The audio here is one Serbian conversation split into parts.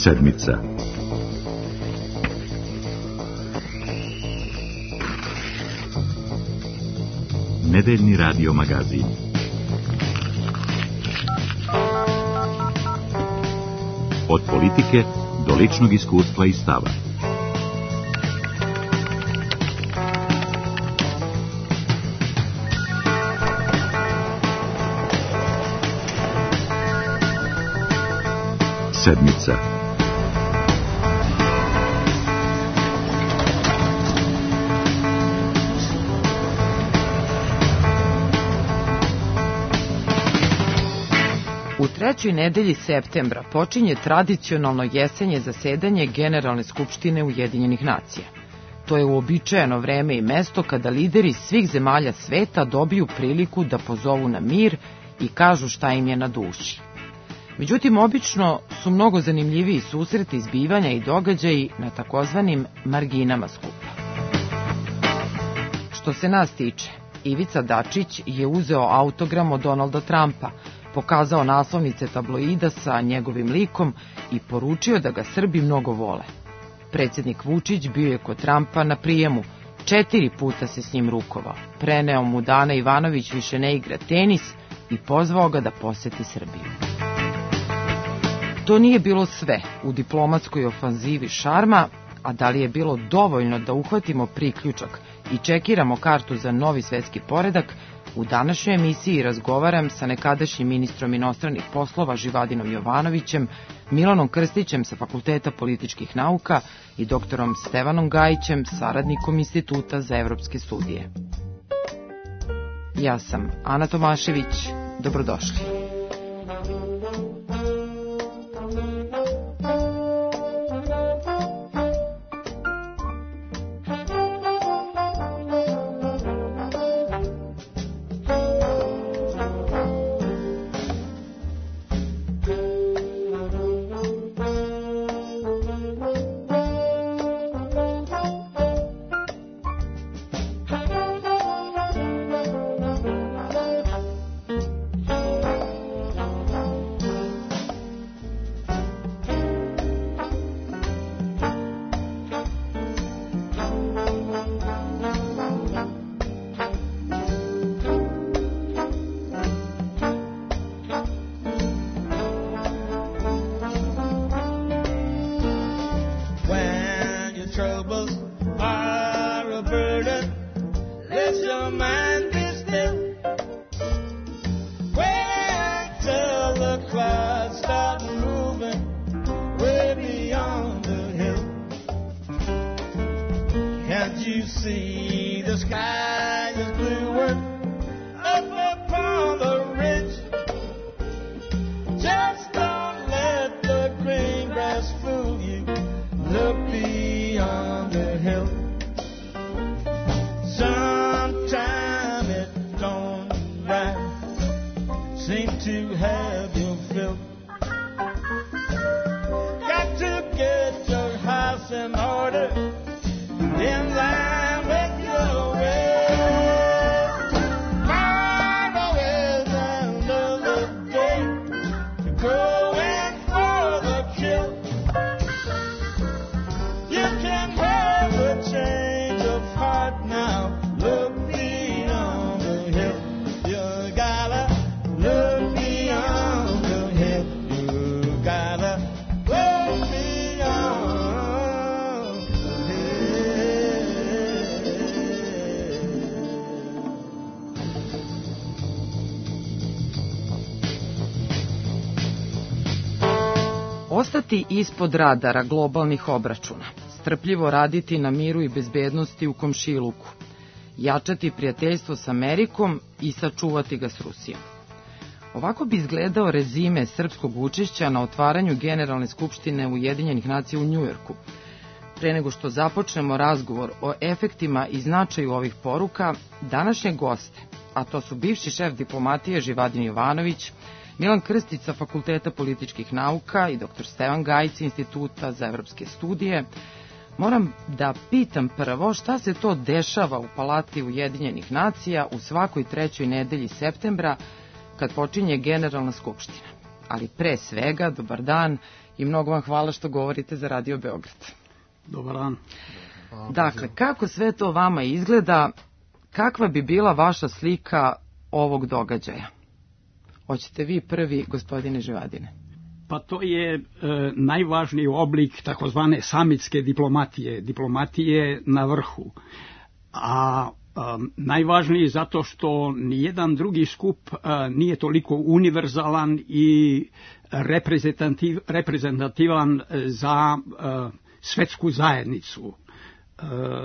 Sedmica. Nedeljni radio magazin. Od politike do ličnog iskustva i stava. Sedmica. U trećoj nedelji septembra počinje tradicionalno jesenje zasedanje Generalne skupštine Ujedinjenih nacija. To je uobičajeno vreme i mesto kada lideri svih zemalja sveta dobiju priliku da pozovu na mir i kažu šta im je na duši. Međutim, obično su mnogo zanimljiviji susreti, zbivanja i događaji na takozvanim marginama skupa. Što se nas tiče, Ivica Dačić je uzeo autogram od Donalda Trumpa, pokazao naslovnice tabloida sa njegovim likom i poručio da ga Srbi mnogo vole. Predsjednik Vučić bio je kod Trumpa na prijemu, 4 puta se s njim rukovao, preneo mu da Ana Ivanović više ne igra tenis i pozvao ga da poseti Srbiju. To nije bilo sve u diplomatskoj ofanzivi šarma, a da li je bilo dovoljno da uhvatimo priključak i čekiramo kartu za novi svetski poredak, u današnjoj emisiji razgovaram sa nekadašnjim ministrom inostranih poslova Živadinom Jovanovićem, Milanom Krstićem sa Fakulteta političkih nauka i doktorom Stevanom Gajićem, saradnikom Instituta za evropske studije. Ja sam Ana Tomašević, dobrodošli. Ostati ispod radara globalnih obračuna, strpljivo raditi na miru i bezbednosti u komšiluku, jačati prijateljstvo s Amerikom i sačuvati ga s Rusijom. Ovako bi izgledao rezime srpskog učešća na otvaranju Generalne skupštine Ujedinjenih nacija u Njujorku. Pre nego što započnemo razgovor o efektima i značaju ovih poruka, današnje goste, a to su bivši šef diplomatije Živadin Jovanović, Milan Krstić sa Fakulteta političkih nauka i dr. Stevan Gajić sa Instituta za evropske studije, moram da pitam prvo šta se to dešava u Palati Ujedinjenih nacija u svakoj trećoj nedelji septembra kad počinje Generalna skupština. Ali pre svega, dobar dan i mnogo vam hvala što govorite za Radio Beograd. Dobar dan. Dakle, kako sve to vama izgleda, kakva bi bila vaša slika ovog događaja? Hoćete vi prvi, gospodine Živadine? Pa to je najvažniji oblik takozvane samitske diplomatije na vrhu. A najvažniji zato što nijedan drugi skup nije toliko univerzalan i reprezentativan za svetsku zajednicu.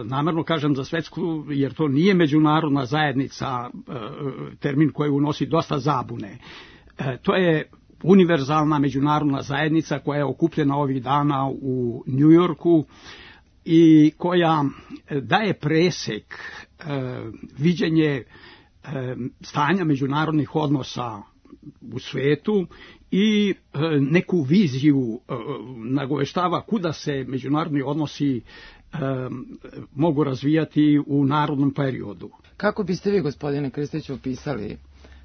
Namerno kažem za svetsku, jer to nije međunarodna zajednica, termin koji unosi dosta zabune. To je univerzalna međunarodna zajednica koja je okupljena ovih dana u Njujorku i koja daje presek, viđenje stanja međunarodnih odnosa u svetu i neku viziju nagoveštava kuda se međunarodni odnosi mogu razvijati u narodnom periodu. Kako biste vi, gospodine Krstiću, opisali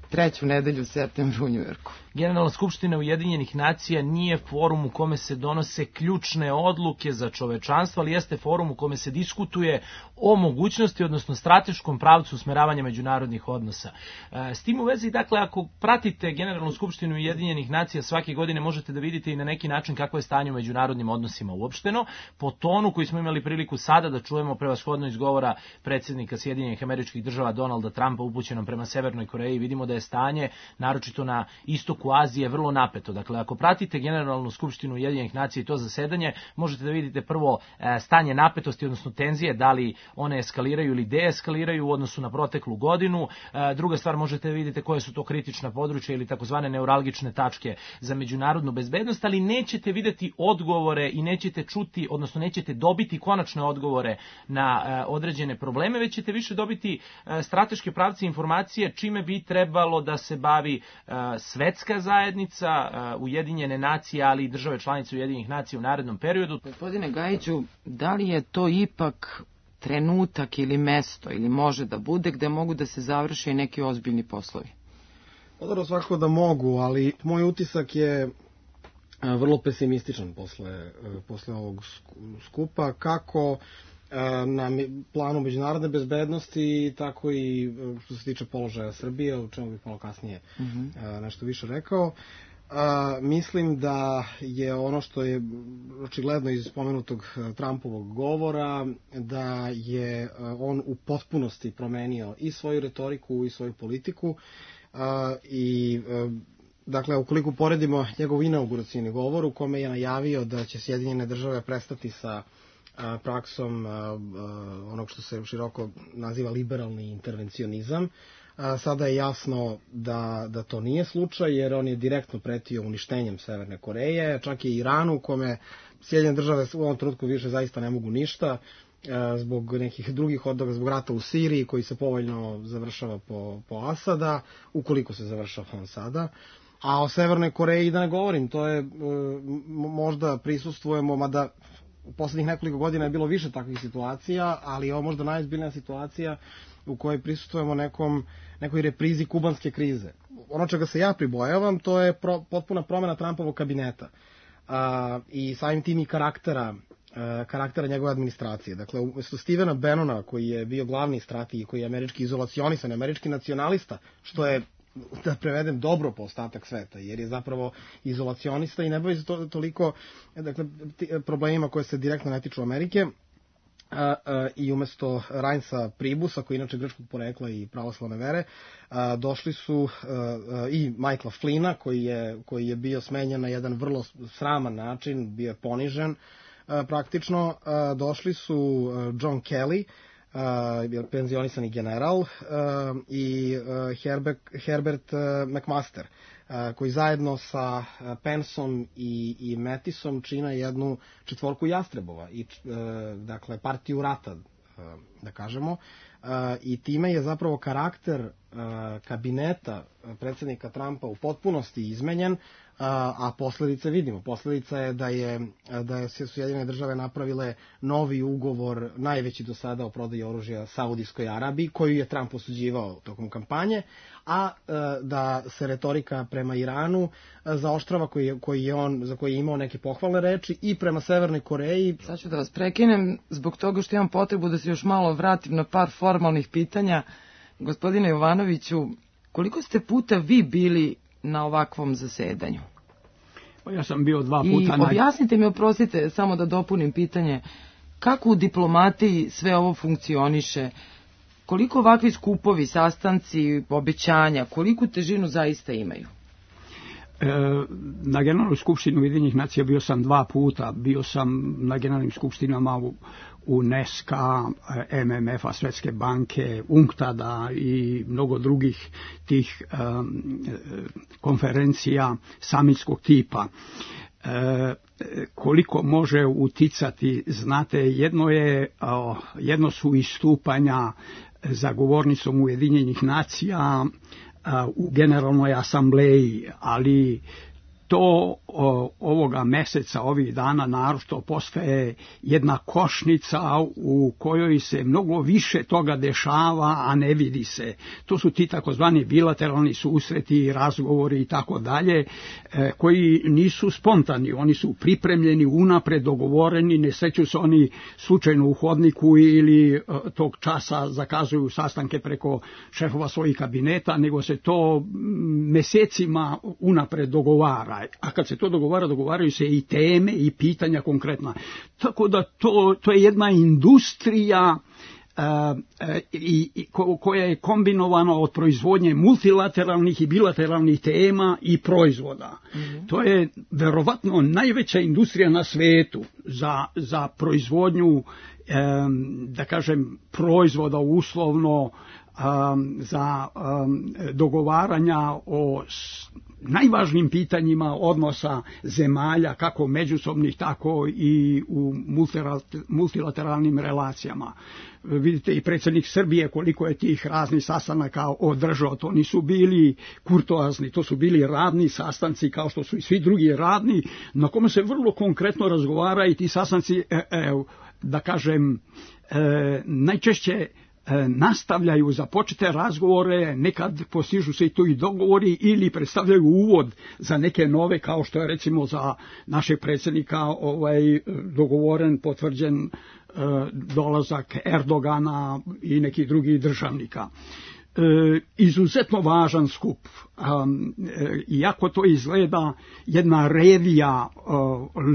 treću nedelju u septembru u Njujorku? Generalna skupština Ujedinjenih nacija nije forum u kome se donose ključne odluke za čovečanstvo, ali jeste forum u kome se diskutuje o mogućnosti, odnosno strateškom pravcu usmeravanja međunarodnih odnosa. S tim u vezi, dakle, ako pratite Generalnu skupštinu Ujedinjenih nacija svake godine, možete da vidite i na neki način kako je stanje u međunarodnim odnosima uopšteno. Po tonu koji smo imali priliku sada da čujemo prevashodno iz govora predsjednika Sjedinjenih Američkih Država Donalda Trumpa upućenom prema Severnoj Koreji, vidimo da je stanje, naročito na istoku Azije, vrlo napeto. Dakle, ako pratite Generalnu skupštinu Ujedinjenih nacija i to zasedanje, možete da vidite prvo stanje napetosti, odnosno tenzije, da li one eskaliraju ili deeskaliraju u odnosu na proteklu godinu. Druga stvar, možete da vidite koje su to kritična područja ili takozvane neuralgične tačke za međunarodnu bezbednost, ali nećete videti odgovore i nećete čuti, odnosno nećete dobiti konačne odgovore na određene probleme, već ćete više dobiti strateške pravce informacije čime bi trebalo da se bavi svetska zajednica, Ujedinjene nacije, ali i države članice Ujedinjenih nacija u narednom periodu. Gospodine Gajiću, da li je to ipak trenutak ili mesto, ili može da bude, gde mogu da se završe i neki ozbiljni poslovi? Odavno svakako da mogu, ali moj utisak je vrlo pesimističan posle ovog skupa, kako na planu međunarodne bezbednosti, tako i što se tiče položaja Srbije, o čemu bih malo kasnije nešto više rekao. Mislim da je ono što je očigledno iz spomenutog Trumpovog govora, da je on u potpunosti promenio i svoju retoriku i svoju politiku i dakle, ukoliko poredimo njegov inauguracioni govor u kome je najavio da će Sjedinjene države prestati sa praksom onog što se široko naziva liberalni intervencionizam, sada je jasno da to nije slučaj, jer on je direktno pretio uništenjem Severne Koreje, čak i Iranu, u kome Sjedinjene države u ovom trenutku više zaista ne mogu ništa, zbog nekih drugih odloga, zbog rata u Siriji koji se povoljno završava po Asada, ukoliko se završava on sada. A o Severnoj Koreji da ne govorim, to je možda prisustvujemo, mada u poslednjih nekoliko godina je bilo više takvih situacija, ali je ovo možda najozbiljnija situacija u kojoj prisustvujemo nekoj reprizi kubanske krize. Ono čega se ja pribojavam, to je potpuna promena Trumpovog kabineta i samim tim i karaktera njegove administracije. Dakle, umjesto Stevena Bannona, koji je bio glavni strateg i koji je američki izolacionisan, američki nacionalista, što je, da prevedem, dobro po ostatak sveta, jer je zapravo izolacionista i ne bavi se toliko problemima koje se direktno ne tiču Amerike, i umesto Reinsa Pribusa, koji je inače grčkog porekla i pravoslavne vere, došli su i Michaela Flynna, koji je bio smenjen na jedan vrlo sraman način, bio je ponižen praktično. Došli su John Kelly, penzionisani general, i Herbert McMaster, koji zajedno sa Penceom i Mattisom čine jednu četvorku jastrebova, i dakle partiju rata da kažemo, i time je zapravo karakter kabineta predsjednika Trumpa u potpunosti izmenjen, a posledice vidimo. Posledica je da su Sjedinjene države napravile novi ugovor, najveći do sada o prodaji oružja Saudijskoj Arabiji, koju je Trump osuđivao tokom kampanje, a da se retorika prema Iranu zaoštrava, za koji je imao neke pohvalne reči, i prema Severnoj Koreji. Sad ću da vas prekinem zbog toga što imam potrebu da se još malo vratim na par formalnih pitanja. Gospodine Jovanoviću, koliko ste puta vi bili na ovakvom zasedanju? Ja sam bio 2 puta. I objasnite mi, oprostite, samo da dopunim pitanje, kako u diplomatiji sve ovo funkcioniše? Koliko ovakvi skupovi, sastanci, obećanja, koliku težinu zaista imaju? Na Generalnoj skupštini Ujedinjenih nacija bio sam 2 puta. Bio sam na generalnim skupštinama UNESCO-a, MMF-a, Svetske banke, UNCTAD-a i mnogo drugih tih konferencija samitskog tipa. Koliko može uticati, znate, jedno su istupanja za govornicom Ujedinjenih nacija u Generalnoj asambleji, ali to ovoga meseca, ovih dana naročito postaje jedna košnica u kojoj se mnogo više toga dešava, a ne vidi se. To su ti takozvani bilateralni susreti, razgovori i tako dalje, koji nisu spontani, oni su pripremljeni, unapred dogovoreni, ne sreću se oni slučajno u hodniku ili tog časa zakazuju sastanke preko šefova svojih kabineta, nego se to mesecima unapred dogovara. A kad se to dogovaraju se i teme i pitanja konkretna. Tako da to je jedna industrija koja je kombinovana od proizvodnje multilateralnih i bilateralnih tema i proizvoda. To je verovatno najveća industrija na svetu za proizvodnju, da kažem, proizvoda uslovno, za dogovaranja o najvažnijim pitanjima odnosa zemalja, kako međusobnih, tako i u multilateralnim relacijama. Vidite i predsjednik Srbije koliko je tih raznih sastanaka održao. To nisu bili kurtoazni, to su bili radni sastanci kao što su i svi drugi radni, na kome se vrlo konkretno razgovara i ti sastanci, da kažem, najčešće nastavljaju započete razgovore, nekad postižu se i tu i dogovori ili predstavljaju uvod za neke nove, kao što je recimo za našeg predsjednika dogovoren, potvrđen dolazak Erdogana i nekih drugih državnika. Izuzetno važan skup, iako to izgleda jedna revija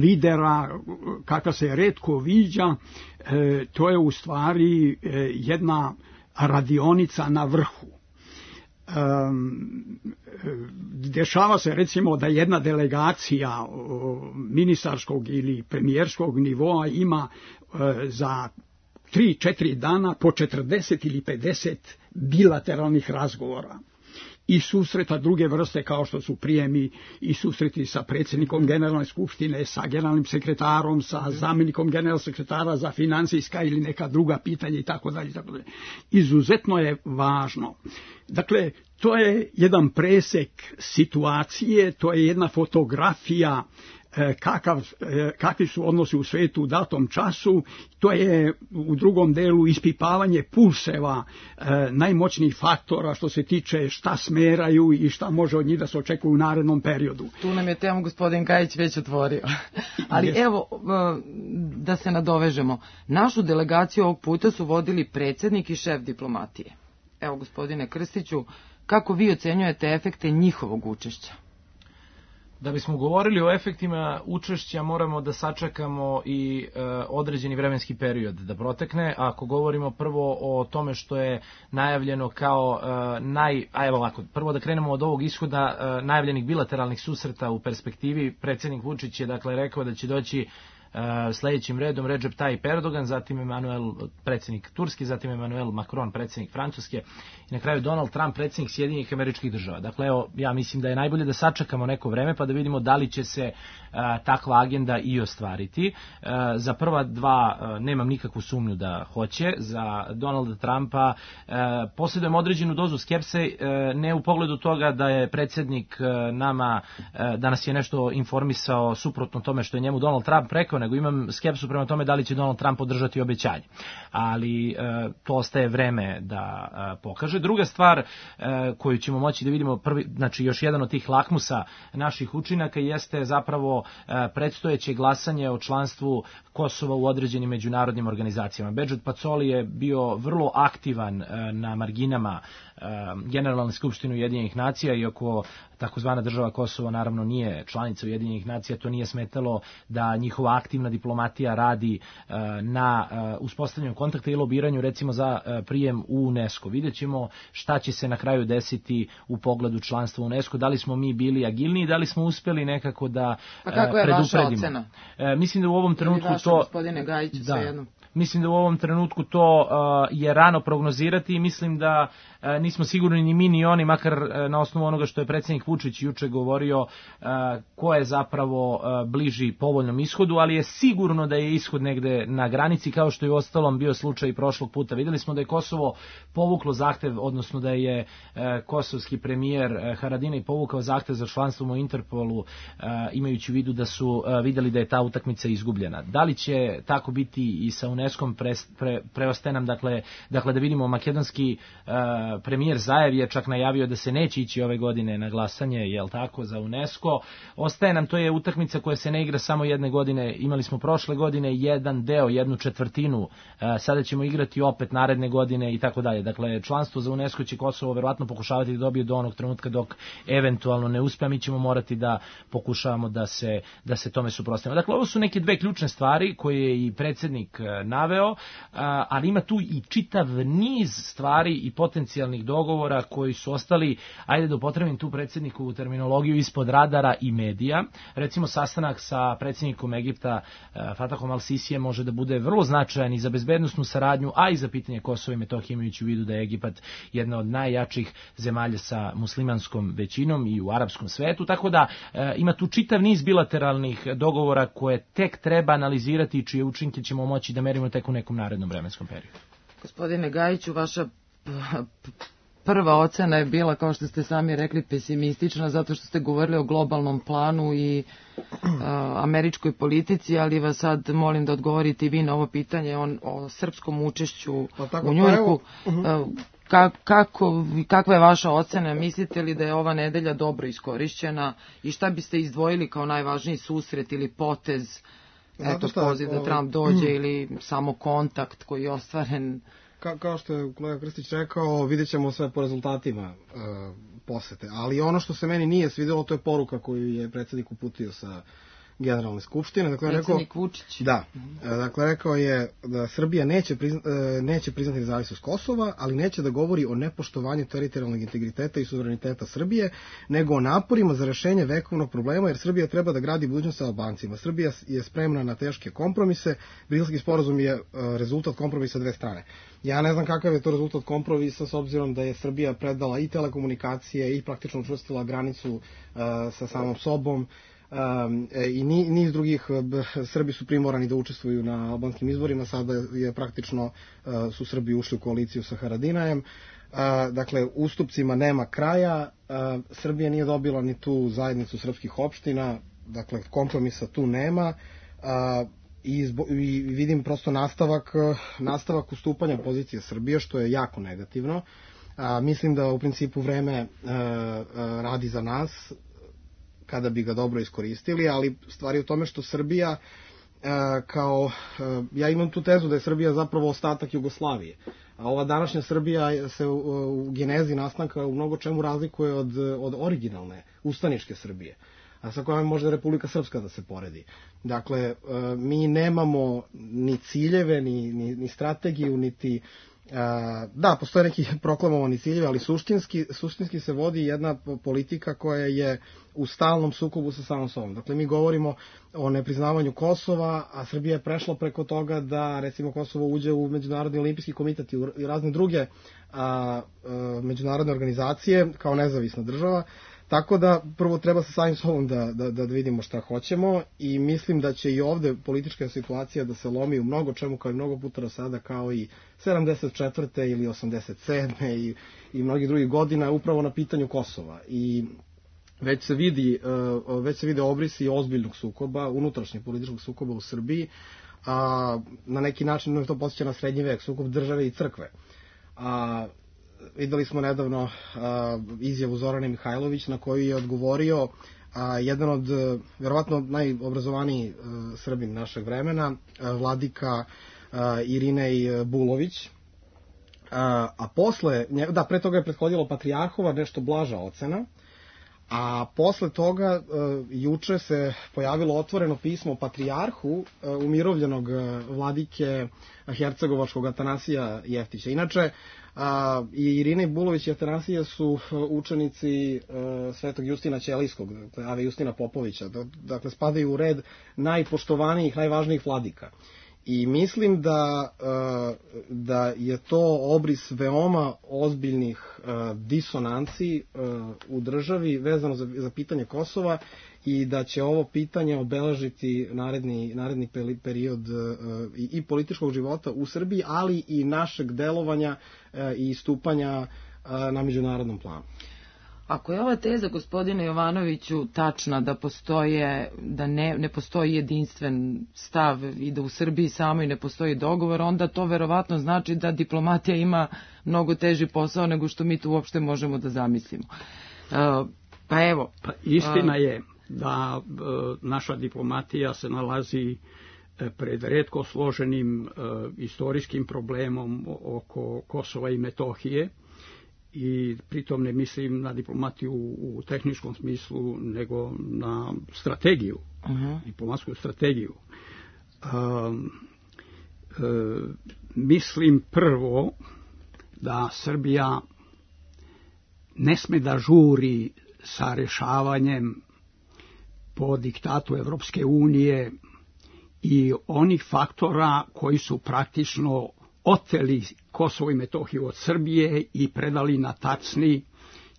lidera kakva se retko viđa, to je u stvari jedna radionica na vrhu. Dešava se recimo da jedna delegacija ministarskog ili premijerskog nivoa ima za 3-4 dana po 40 ili 50 bilateralnih razgovora i susreta druge vrste kao što su prijemi i susreti sa predsjednikom Generalne skupštine, sa generalnim sekretarom, sa zamjenikom generalnog sekretara za financijska ili neka druga pitanja i tako dalje. Izuzetno je važno. Dakle, to je jedan presek situacije, to je jedna fotografija kakvi su odnosi u svijetu u datom času. To je u drugom delu ispipavanje pulseva najmoćnijih faktora što se tiče šta smeraju i šta može od njih da se očekuje u narednom periodu. Tu nam je temu gospodin Gajić već otvorio. Ali evo, da se nadovežemo. Našu delegaciju ovog puta su vodili predsjednik i šef diplomatije. Evo, gospodine Krstiću, kako vi ocenjujete efekte njihovog učešća? Da bismo govorili o efektima učešća, moramo da sačekamo i određeni vremenski period da protekne. Ako govorimo prvo o tome što je najavljeno kao prvo da krenemo od ovog ishoda najavljenih bilateralnih susreta u perspektivi, predsjednik Vučić je dakle rekao da će doći sledećim redom Recep Tayyip Erdogan, zatim predsjednik Turski, zatim Emmanuel Macron, predsjednik Francuske i na kraju Donald Trump, predsjednik Sjedinjenih Američkih Država. Dakle, evo, ja mislim da je najbolje da sačekamo neko vreme pa da vidimo da li će se takva agenda i ostvariti. Za prva dva nemam nikakvu sumnju da hoće. Za Donalda Trumpa posjedujem određenu dozu skepse, ne u pogledu toga da je predsjednik da nas je nešto informisao suprotno tome što je njemu Donald Trump rekao, nego imam skepsu prema tome da li će Donald Trump podržati obećanje. Ali to ostaje vreme da pokaže. Druga stvar koju ćemo moći da vidimo, znači još jedan od tih lakmusa naših učinaka jeste zapravo predstojeće glasanje o članstvu Kosova u određenim međunarodnim organizacijama. Bedžet Pacoli je bio vrlo aktivan na marginama Generalne skupštine Ujedinjenih nacija, iako takozvana država Kosovo naravno nije članica Ujedinjenih nacija, to nije smetalo da njihova aktivna diplomatija radi na uspostavljanju kontakta i lobiranju recimo za prijem u UNESCO. Vidjet ćemo šta će se na kraju desiti u pogledu članstva u UNESCO, da li smo mi bili agilniji, da li smo uspjeli nekako da predupredimo. Kako je vaša ocena? Mislim da u ovom trenutku vaša, gospodine Gajiću, svejedno. Mislim da u ovom trenutku to je rano prognozirati i mislim da nismo sigurni ni mi ni oni, makar na osnovu onoga što je predsjednik Vučić juče govorio, ko je zapravo bliži povoljnom ishodu, ali je sigurno da je ishod negde na granici, kao što je u ostalom bio slučaj prošlog puta. Vidjeli smo da je Kosovo povuklo zahtev, odnosno da je kosovski premijer Haradinaj povukao zahtev za članstvom u Interpolu, imajući u vidu da su vidjeli da je ta utakmica izgubljena. Da li će tako biti i sa UNESCO-om, preostaje nam dakle da vidimo. Makedonski premijer Zajev je čak najavio da se neće ići ove godine na glasanje, jel tako, za UNESCO. Ostaje nam, to je utakmica koja se ne igra samo jedne godine, imali smo prošle godine jedan deo, jednu četvrtinu, sada ćemo igrati opet naredne godine i tako dalje. Dakle, članstvo za UNESCO će Kosovo verovatno pokušavati da dobije do onog trenutka dok eventualno ne uspe, mi ćemo morati da pokušavamo da se tome suprotstavimo. Dakle, ovo su neke dve ključne stvari koje je i predsjednik naveo, ali ima tu i čitav niz stvari i potencijalnih dogovora koji su ostali, ajde da upotrebim tu predsjednikovu terminologiju, ispod radara i medija. Recimo, sastanak sa predsjednikom Egipta Fatahom al-Sisijem može da bude vrlo značajan i za bezbednosnu saradnju, a i za pitanje Kosova i Metohije, imajući u vidu da je Egipat jedna od najjačih zemalja sa muslimanskom većinom i u arapskom svetu, tako da ima tu čitav niz bilateralnih dogovora koje tek treba analizirati i čije učinke ćemo moći da merimo tek u nekom narednom vremenskom periodu. Gospodine Gajiću, vaša prva ocena je bila, kao što ste sami rekli, pesimistična, zato što ste govorili o globalnom planu i američkoj politici, ali vas sad molim da odgovorite i vi na ovo pitanje o srpskom učešću u Njujorku. Kakva je vaša ocena? Mislite li da je ova nedelja dobro iskorišćena i šta biste izdvojili kao najvažniji susret ili potez, poziv da Trump dođe ili samo kontakt koji je ostvaren? Kao što je kolega Krstić rekao, vidjet ćemo sve po rezultatima posete. Ali ono što se meni nije svidjelo, to je poruka koju je predsjednik uputio sa Generalne skupštine. Dakle, predsjednik Vučić. Da. Dakle, rekao je da Srbija neće priznati nezavisnost Kosova, ali neće da govori o nepoštovanju teritorijalnog integriteta i suvereniteta Srbije, nego o naporima za rešenje vekovnog problema, jer Srbija treba da gradi budućnost sa Albancima. Srbija je spremna na teške kompromise. Briselski sporazum je rezultat kompromisa dve strane. Ja ne znam kakav je to rezultat kompromisa, s obzirom da je Srbija predala i telekomunikacije i praktično učvrstila granicu sa samom sobom, i niz drugih. Srbi su primorani da učestvuju na albanskim izborima, sada je praktično su Srbi ušli u koaliciju sa Haradinajem. Dakle, ustupcima nema kraja. Srbija nije dobila ni tu zajednicu srpskih opština, dakle kompromisa tu nema. I vidim prosto nastavak ustupanja pozicije Srbije, što je jako negativno. Mislim da u principu vreme radi za nas, kada bi ga dobro iskoristili, ali stvar je u tome što Srbija ja imam tu tezu da je Srbija zapravo ostatak Jugoslavije, a ova današnja Srbija se u genezi nastanka u mnogo čemu razlikuje od originalne ustaničke Srbije, a sa kojom može Republika Srpska da se poredi. Dakle, mi nemamo ni ciljeve, ni strategiju, niti Da, postoje neki proklamovani ciljevi, ali suštinski se vodi jedna politika koja je u stalnom sukobu sa samom sobom. Dakle, mi govorimo o nepriznavanju Kosova, a Srbija je prešla preko toga da, recimo, Kosovo uđe u Međunarodni olimpijski komitet i razne druge međunarodne organizacije kao nezavisna država. Tako da prvo treba sa samim sobom da vidimo šta hoćemo i mislim da će i ovde politička situacija da se lomi u mnogo čemu kao i mnogo puta do sada, kao i 74. ili 87. i mnogih drugih godina upravo na pitanju Kosova. I već se vide obrisi ozbiljnog sukoba, unutrašnjeg političkog sukoba u Srbiji, na neki način to podsjeća na srednji vek, sukob države i crkve. Videli smo nedavno izjavu Zorane Mihajlović na koju je odgovorio jedan od verovatno najobrazovaniji Srbin našeg vremena, vladika Irinej Bulović. A posle, pre toga je prethodilo Patrijarhova nešto blaža ocena, a posle toga juče se pojavilo otvoreno pismo Patrijarhu umirovljenog vladike hercegovačkog Atanasija Jeftića. Inače, i Irina Bulović i Atanasija su učenici Svetog Justina Ćelijskog, dakle Ave Justina Popovića, dakle spadaju u red najpoštovanijih, najvažnijih vladika. I mislim da je to obris veoma ozbiljnih disonanci u državi vezano za pitanje Kosova i da će ovo pitanje obeležiti naredni period i političkog života u Srbiji, ali i našeg delovanja i istupanja na međunarodnom planu. Ako je ova teza, gospodine Jovanoviću, tačna da ne postoji jedinstven stav i da u Srbiji samoj ne postoji dogovor, onda to verovatno znači da diplomatija ima mnogo teži posao nego što mi tu uopšte možemo da zamislimo. Istina je da naša diplomatija se nalazi pred retko složenim istorijskim problemom oko Kosova i Metohije, i pritom ne mislim na diplomatiju u tehničkom smislu, nego na strategiju, diplomatsku strategiju. Mislim prvo da Srbija ne sme da žuri sa rešavanjem po diktatu Evropske unije i onih faktora koji su praktično oteli Kosovo i Metohiju od Srbije i predali na Tacni,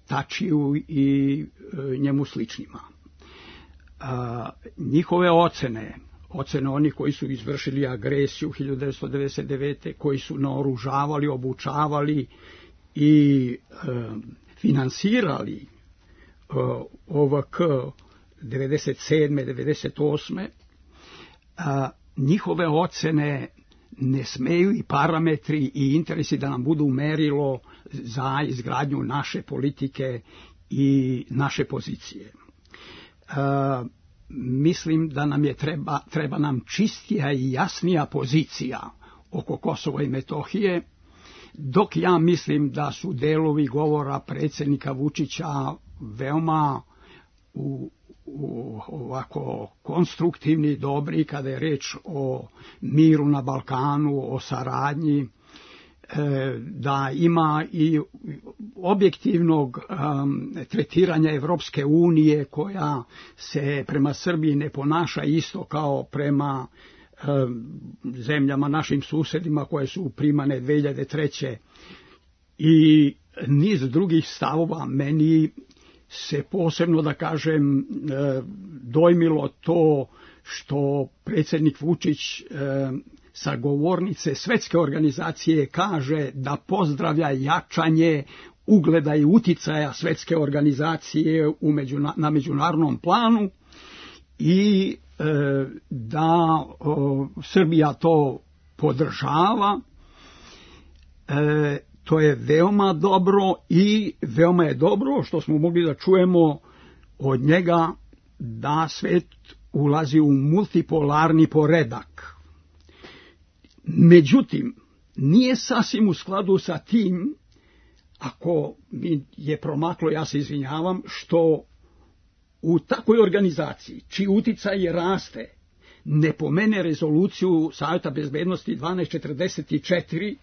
Tačiju i njemu sličnima. Njihove ocene onih koji su izvršili agresiju 1999. koji su naoružavali, obučavali i finansirali OVK 97. 98. Njihove ocene ne smeju i parametri i interesi da nam budu merilo za izgradnju naše politike i naše pozicije. Mislim da nam treba nam čistija i jasnija pozicija oko Kosova i Metohije, dok ja mislim da su delovi govora predsjednika Vučića veoma ovako konstruktivni, dobri kada je reč o miru na Balkanu, o saradnji, da ima i objektivnog tretiranja Evropske unije koja se prema Srbiji ne ponaša isto kao prema zemljama, našim susedima koje su primane 2003. I niz drugih stavova. Meni se posebno, da kažem, dojmilo to što predsjednik Vučić sa govornice Svetske organizacije kaže da pozdravlja jačanje ugleda i uticaja Svetske organizacije na međunarodnom planu i da Srbija to podržava. To je veoma dobro i veoma je dobro što smo mogli da čujemo od njega da svet ulazi u multipolarni poredak. Međutim, nije sasvim u skladu sa tim, ako mi je promaklo, ja se izvinjavam, što u takvoj organizaciji, čiji uticaj raste, ne pomene rezoluciju Saveta bezbednosti 1244,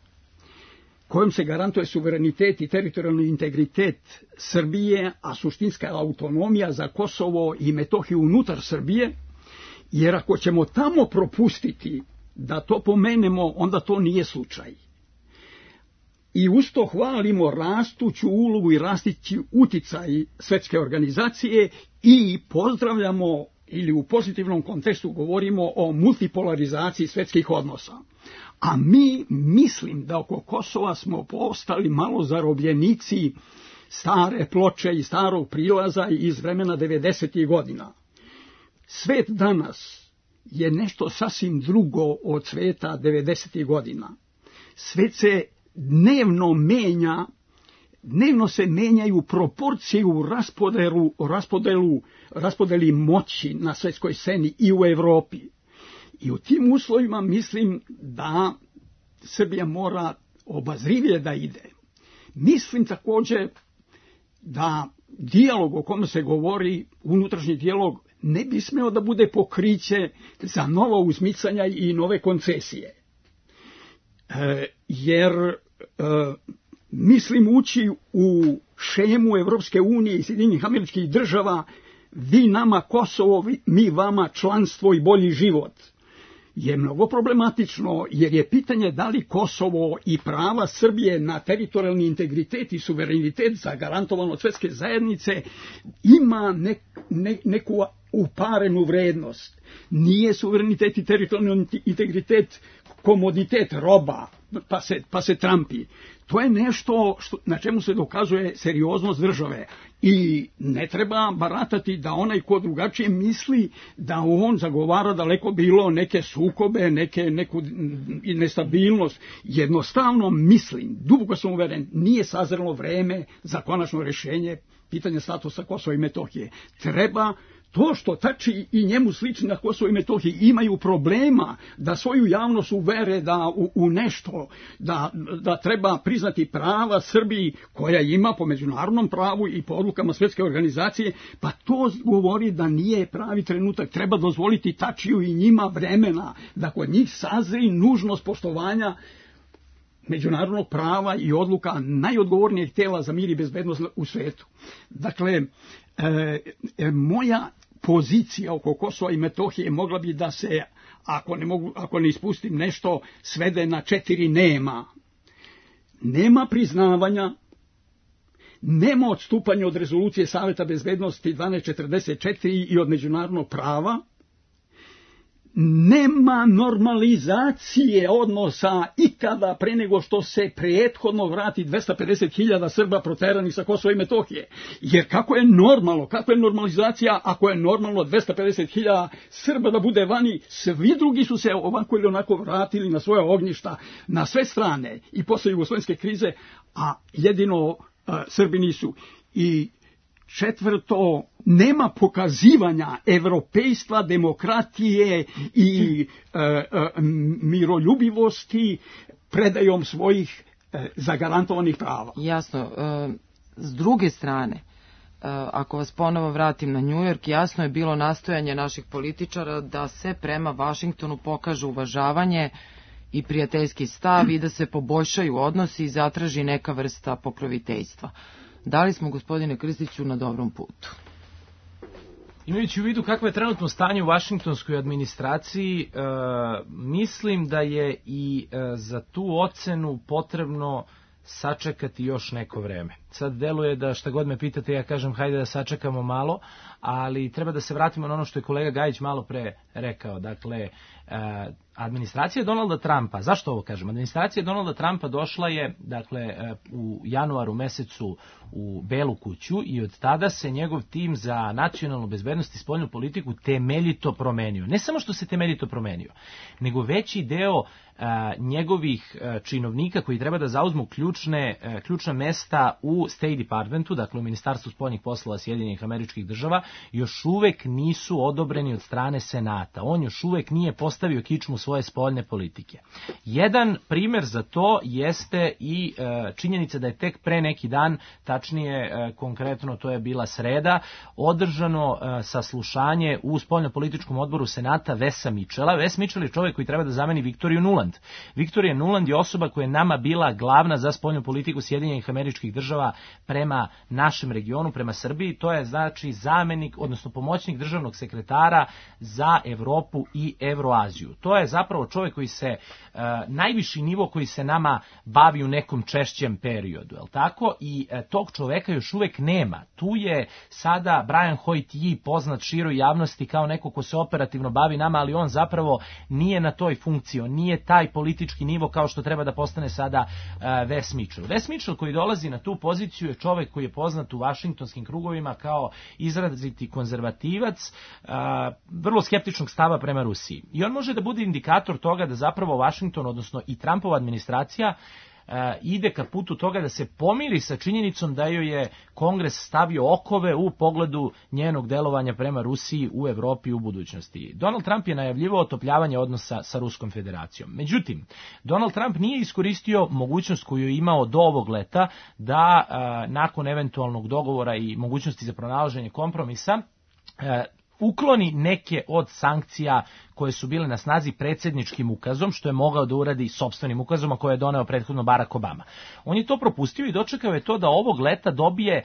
kojom se garantuje suverenitet i teritorijalni integritet Srbije, a suštinska autonomija za Kosovo i Metohiju unutar Srbije, jer ako ćemo tamo propustiti da to pomenemo, onda to nije slučaj. I usto hvalimo rastuću ulogu i rastući uticaj Svetske organizacije i pozdravljamo, ili u pozitivnom kontekstu govorimo o multipolarizaciji svetskih odnosa. A mi mislim da oko Kosova smo postali malo zarobljenici stare ploče i starog prilaza iz vremena 90. godina. Svet danas je nešto sasvim drugo od sveta 90. godina. Svet se dnevno menja, dnevno se menjaju proporcije u raspodeli moći na svetskoj sceni i u Evropi. I u tim uslovima mislim da Srbija mora obazrivije da ide. Mislim također da dijalog o kome se govori, unutrašnji dijalog, ne bi smeo da bude pokriće za nova uzmicanja i nove koncesije. Jer mislim ući u šemu Evropske unije i Sjedinjenih Američkih Država, vi nama Kosovo, mi vama članstvo i bolji život, je mnogo problematično, jer je pitanje da li Kosovo i prava Srbije na teritorijalni integritet i suverenitet zagarantovan od Svetske zajednice ima neku uparenu vrednost. Nije suverenitet i teritorijalni integritet komoditet roba, pa se trampi. To je nešto na čemu se dokazuje serioznost države i ne treba baratati da onaj ko drugačije misli da on zagovara daleko bilo neke sukobe, neku nestabilnost. Jednostavno mislim, duboko sam uveren, nije sazrelo vreme za konačno rješenje pitanja statusa Kosova i Metohije. Treba to što Tači i njemu slični na Kosovo i Metohiji imaju problema da svoju javnost uvere da u nešto, da treba priznati prava Srbiji koja ima po međunarodnom pravu i po odlukama Svetske organizacije, pa to govori da nije pravi trenutak. Treba dozvoliti Tačiju i njima vremena da kod njih sazri nužnost poštovanja međunarodnog prava i odluka najodgovornijeg tela za mir i bezbednost u svetu. Dakle, moja pozicija oko Kosova i Metohije mogla bi da se, ako ne ispustim nešto, svede na 4 nema. Nema priznavanja, nema odstupanja od rezolucije Saveta bezbednosti 1244 i od međunarodnog prava, nema normalizacije odnosa ikada pre nego što se prethodno vrati 250.000 Srba proteranih sa Kosova i Metohije. Jer kako je normalno, kako je normalizacija ako je normalno 250.000 Srba da bude vani, svi drugi su se ovako ili onako vratili na svoje ognjišta, na sve strane i posle jugoslovenske krize, a jedino Srbi nisu. I četvrto, nema pokazivanja evropejstva, demokratije i miroljubivosti predajom svojih zagarantovanih prava. Jasno. S druge strane, ako vas ponovo vratim na New York, jasno je bilo nastojanje naših političara da se prema Vašingtonu pokaže uvažavanje i prijateljski stav i da se poboljšaju odnosi i zatraži neka vrsta pokroviteljstva. Da li smo, gospodine Krstiću, na dobrom putu? Imajući u vidu kakvo je trenutno stanje u vašingtonskoj administraciji, mislim da je i za tu ocenu potrebno sačekati još neko vreme. Sad deluje da šta god me pitate, ja kažem hajde da sačekamo malo, ali treba da se vratimo na ono što je kolega Gajić malo pre rekao. Dakle, administracija Donalda Trumpa, zašto ovo kažem? Administracija Donalda Trumpa došla je, dakle, u januaru mesecu u Belu kuću i od tada se njegov tim za nacionalnu bezbednost i spoljnu politiku temeljito promenio. Ne samo što se temeljito promenio, nego veći deo njegovih činovnika koji treba da zauzmu ključna mesta u u State Departmentu, dakle u Ministarstvu spoljnih poslova Sjedinjenih Američkih Država, još uvek nisu odobreni od strane Senata. On još uvek nije postavio kičmu svoje spoljne politike. Jedan primer za to jeste i činjenica da je tek pre neki dan, tačnije konkretno to je bila sreda, održano saslušanje u spoljnopolitičkom odboru Senata Wesa Mitchella. Wes Mitchell je čovjek koji treba da zameni Victoriju Nuland. Victoria Nuland je osoba koja je nama bila glavna za spoljnu politiku Sjedinjenih Američkih Država prema našem regionu, prema Srbiji. To je znači zamenik, odnosno pomoćnik državnog sekretara za Evropu i Evroaziju. To je zapravo čovjek koji se, najviši nivo koji se nama bavi u nekom češćem periodu, je li tako? I tog čoveka još uvek nema. Tu je sada Brian Hoyt-Yi poznat široj javnosti kao neko ko se operativno bavi nama, ali on zapravo nije na toj funkciji, on nije taj politički nivo kao što treba da postane sada Wes Mitchell. Wes Mitchell koji dolazi na tu poziciju je čovjek koji je poznat u vašingtonskim krugovima kao izraziti konzervativac, vrlo skeptičnog stava prema Rusiji. I on može da bude indikator toga da zapravo Washington, odnosno i Trumpova administracija, ide ka putu toga da se pomiri sa činjenicom da joj je Kongres stavio okove u pogledu njenog delovanja prema Rusiji u Evropi u budućnosti. Donald Trump je najavljivao otopljavanje odnosa sa Ruskom federacijom. Međutim, Donald Trump nije iskoristio mogućnost koju je imao do ovog leta da nakon eventualnog dogovora i mogućnosti za pronalaženje kompromisa ukloni neke od sankcija koje su bile na snazi predsjedničkim ukazom, što je mogao da uradi sopstvenim ukazom, a koje je doneo prethodno Barack Obama. On je to propustio i dočekao je to da ovog leta dobije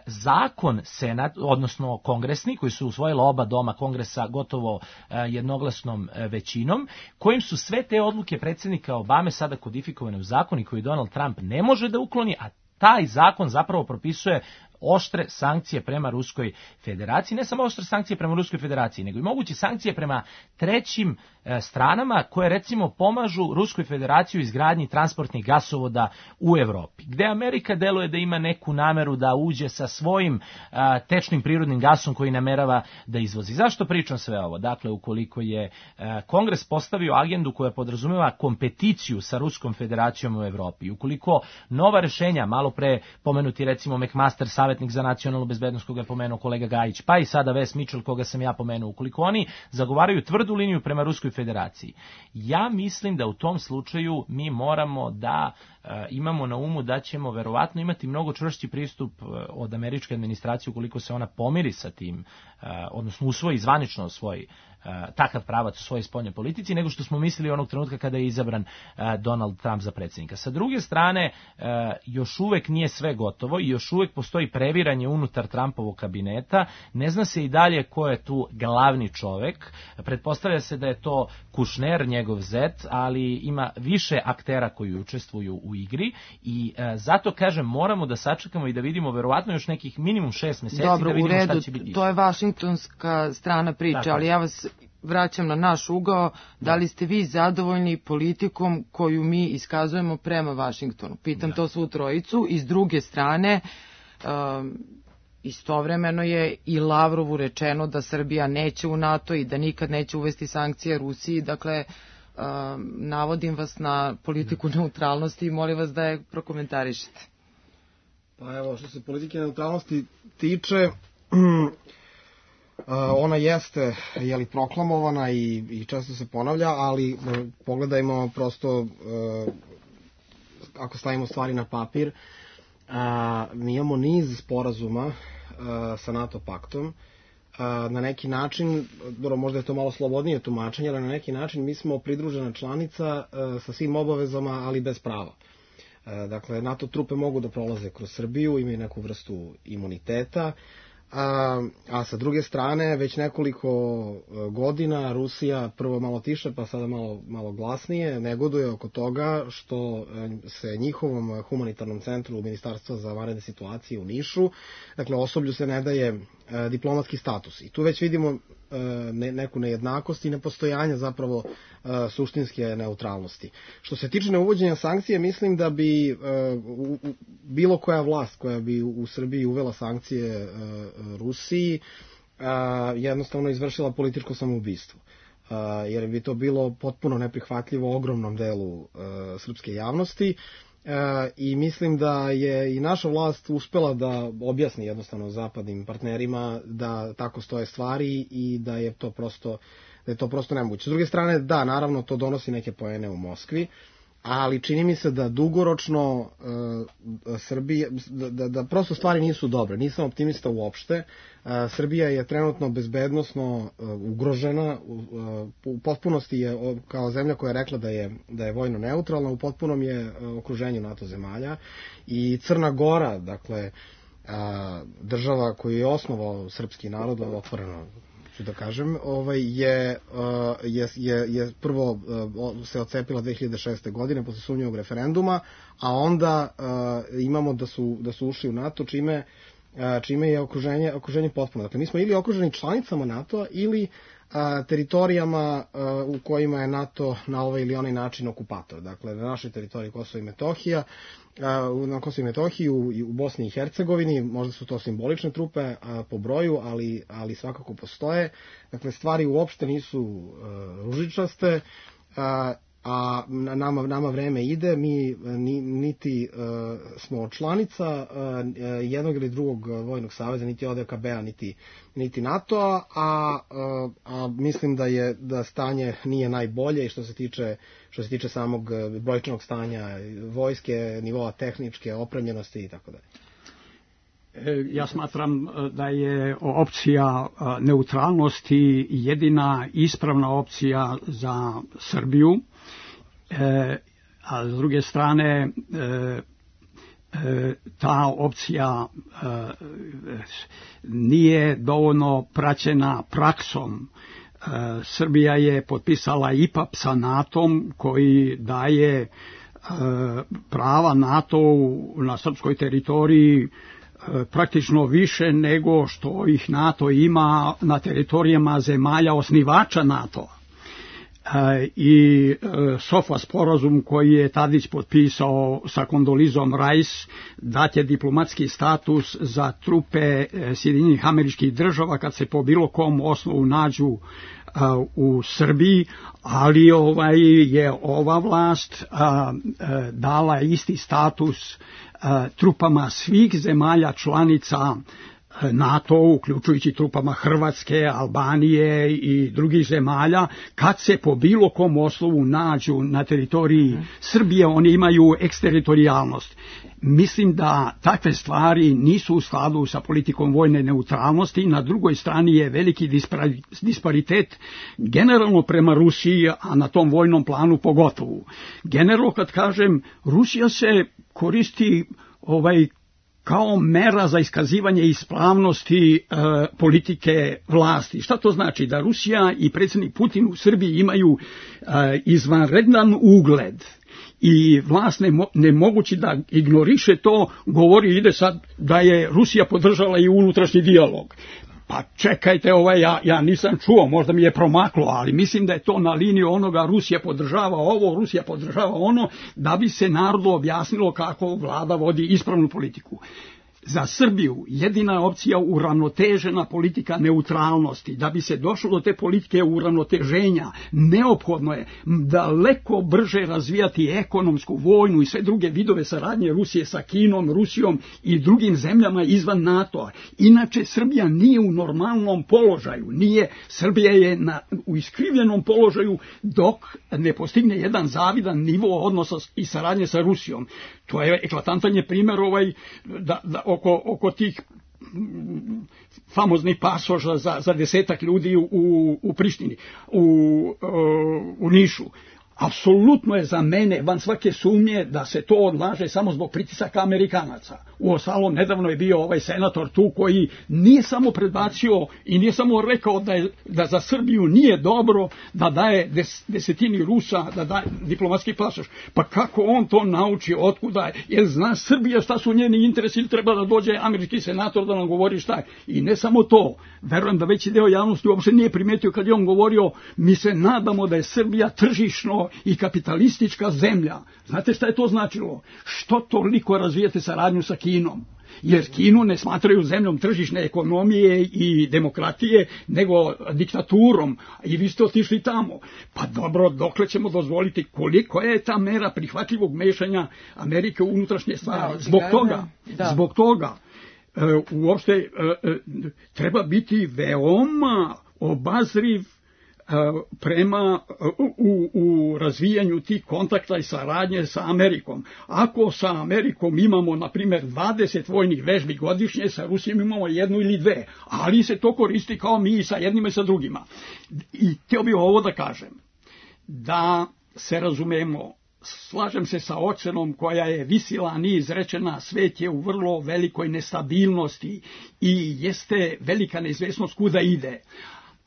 zakon Senat, odnosno kongresni, koji su usvojila oba doma Kongresa gotovo jednoglasnom većinom, kojim su sve te odluke predsjednika Obame sada kodifikovane u zakon i koji Donald Trump ne može da ukloni, a taj zakon zapravo propisuje oštre sankcije prema Ruskoj federaciji, ne samo oštre sankcije prema Ruskoj federaciji, nego i moguće sankcije prema trećim stranama koje recimo pomažu Ruskoj federaciji u izgradnji transportnih gasovoda u Evropi, gde Amerika deluje da ima neku nameru da uđe sa svojim tečnim prirodnim gasom koji namerava da izvozi. Zašto pričam sve ovo? Dakle, ukoliko je Kongres postavio agendu koja podrazumeva kompeticiju sa Ruskom federacijom u Evropi, ukoliko nova rešenja, malo pre pomenuti recimo McMaster, savjetnik za nacionalnu bezbednost koga je pomenuo kolega Gajić, pa i sada Wes Mitchell koga sam ja pomenuo, ukoliko oni zagovaraju tvrdu liniju prema Ruskoj federaciji, ja mislim da u tom slučaju mi moramo da imamo na umu da ćemo verovatno imati mnogo čvršći pristup od američke administracije ukoliko se ona pomiri sa tim, odnosno usvoji zvanično svoj takav pravac u svojoj spoljnoj politici, nego što smo mislili onog trenutka kada je izabran Donald Trump za predsjednika. Sa druge strane, još uvek nije sve gotovo i još uvek postoji previranje unutar Trumpovog kabineta. Ne zna se i dalje ko je tu glavni čovek. Pretpostavlja se da je to Kushner, njegov zet, ali ima više aktera koji učestvuju u igri i zato kažem moramo da sačekamo i da vidimo verovatno još nekih minimum 6 meseci. Dobro, da vidimo u redu, šta će biti. To je vašingtonska strana priče, Tako. ali ja vas vraćam na naš ugao. Da li ste vi zadovoljni politikom koju mi iskazujemo prema Vašingtonu? Pitam to svu trojicu. I s druge strane, istovremeno je i Lavrovu rečeno da Srbija neće u NATO i da nikad neće uvesti sankcije Rusiji. Dakle, navodim vas na politiku neutralnosti i molim vas da je prokomentarišete. Pa evo, što se politike neutralnosti tiče, ona jeste proklamovana i često se ponavlja, ali pogledajmo prosto, ako stavimo stvari na papir, mi imamo niz sporazuma sa NATO paktom. Na neki način, možda je to malo slobodnije tumačenje, ali na neki način mi smo pridružena članica sa svim obavezama, ali bez prava. Dakle, NATO trupe mogu da prolaze kroz Srbiju, imaju neku vrstu imuniteta, a sa druge strane već nekoliko godina Rusija prvo malo tiše pa sada malo glasnije negoduje oko toga što se njihovom humanitarnom centru Ministarstva za vanredne situacije u Nišu, dakle osoblju se ne daje diplomatski status i tu već vidimo neku nejednakost i nepostojanje zapravo suštinske neutralnosti. Što se tiče neuvođenja sankcije, mislim da bi bilo koja vlast koja bi u Srbiji uvela sankcije Rusiji jednostavno izvršila političko samoubistvo. Jer bi to bilo potpuno neprihvatljivo ogromnom delu srpske javnosti i mislim da je i naša vlast uspela da objasni jednostavno zapadnim partnerima da tako stoje stvari i da je to prosto nemoguće. S druge strane, da, naravno to donosi neke poene u Moskvi, ali čini mi se da dugoročno Srbija, da prosto stvari nisu dobre. Nisam optimista uopšte. Srbija je trenutno bezbednosno ugrožena, u potpunosti je kao zemlja koja je rekla da je vojno neutralna, u potpunom je okruženju NATO zemalja i Crna Gora, dakle država koju je osnovao srpski narod, otvoreno ću da kažem, je prvo se odcepila 2006. godine posle sumnjivog referenduma, a onda imamo da su ušli u NATO, čime je okruženje potpuno. Dakle, mi smo ili okruženi članicama NATO-a ili teritorijama u kojima je NATO na ovaj ili onaj način okupator. Dakle, na našoj teritoriji Kosova i Metohija, na Kosovo i Metohiju i u Bosni i Hercegovini, možda su to simbolične trupe po broju, ali svakako postoje. Dakle, stvari uopšte nisu ružičaste, a nama vreme ide, mi niti smo članica jednog ili drugog vojnog saveza, niti ODKB-a, niti NATO-a, a mislim da stanje nije najbolje i što se tiče samog brojčanog stanja vojske, nivoa tehničke opremljenosti i tako dalje. Ja smatram da je opcija neutralnosti jedina ispravna opcija za Srbiju, a s druge strane ta opcija nije dovoljno praćena praksom. Srbija je potpisala IPAP sa NATO-om koji daje prava NATO-u na srpskoj teritoriji praktično više nego što ih NATO ima na teritorijama zemalja osnivača NATO-a. I SOFA sporazum koji je Tadić potpisao sa Kondolizom Rice dat je diplomatski status za trupe Sjedinjenih Američkih Država kad se po bilo kom osnovu nađu u Srbiji, ali je ova vlast dala isti status trupama svih zemalja članica NATO, uključujući trupama Hrvatske, Albanije i drugih zemalja, kad se po bilo kom osnovu nađu na teritoriji Srbije, oni imaju eksteritorijalnost. Mislim da takve stvari nisu u skladu sa politikom vojne neutralnosti. Na drugoj strani je veliki disparitet generalno prema Rusiji, a na tom vojnom planu pogotovo. Generalno, kad kažem, Rusija se koristi kao mera za iskazivanje ispravnosti politike vlasti. Šta to znači? Da Rusija i predsjednik Putin u Srbiji imaju izvanredan ugled i vlast ne mogući da ignoriše to, govori, ide sad da je Rusija podržala i unutrašnji dijalog. Pa čekajte, ja nisam čuo, možda mi je promaklo, ali mislim da je to na liniju onoga Rusija podržava ovo, Rusija podržava ono, da bi se narodu objasnilo kako vlada vodi ispravnu politiku. Za Srbiju jedina opcija uravnotežena politika neutralnosti. Da bi se došlo do te politike uravnoteženja, neophodno je daleko brže razvijati ekonomsku, vojnu i sve druge vidove saradnje Rusije sa Kinom, Rusijom i drugim zemljama izvan NATO-a. Inače, Srbija nije u normalnom položaju. Srbija je u iskrivljenom položaju dok ne postigne jedan zavidan nivo odnosa i saradnje sa Rusijom. To je eklatantan je primjer oko tih famoznih pasoža za 10 ljudi u Prištini, u Nišu. Apsolutno je za mene van svake sumnje da se to odlaže samo zbog pritisaka Amerikanaca. Uostalom, nedavno je bio ovaj senator tu koji nije samo predbacio i nije samo rekao da za Srbiju nije dobro da daje desetini Rusa, da daje diplomatski pasoš. Pa kako on to nauči, otkuda je? Jer zna Srbija šta su njeni interesi ili treba da dođe američki senator da nam govori šta je. I ne samo to, verujem da veći deo javnosti uopšte nije primetio kad je on govorio, mi se nadamo da je Srbija tržišno i kapitalistička zemlja. Znate šta je to značilo? Što toliko razvijate saradnju sa Kinom? jer Kinu ne smatraju zemljom tržišne ekonomije i demokratije, nego diktaturom, i vi ste otišli tamo. Pa dobro, dokle ćemo dozvoliti, koliko je ta mera prihvatljivog mešanja Amerike u unutrašnje stvari? Zbog toga uopšte treba biti veoma obazriv prema u razvijanju tih kontakta i saradnje sa Amerikom. Ako sa Amerikom imamo, na primjer, 20 vojnih vežbi godišnje, sa Rusijom imamo 1 ili 2, ali se to koristi kao mi sa jednima i sa drugima. I htio bih ovo da kažem, da se razumemo, slažem se sa ocenom koja je visila niz rečena, svet je u vrlo velikoj nestabilnosti i jeste velika neizvesnost kuda ide.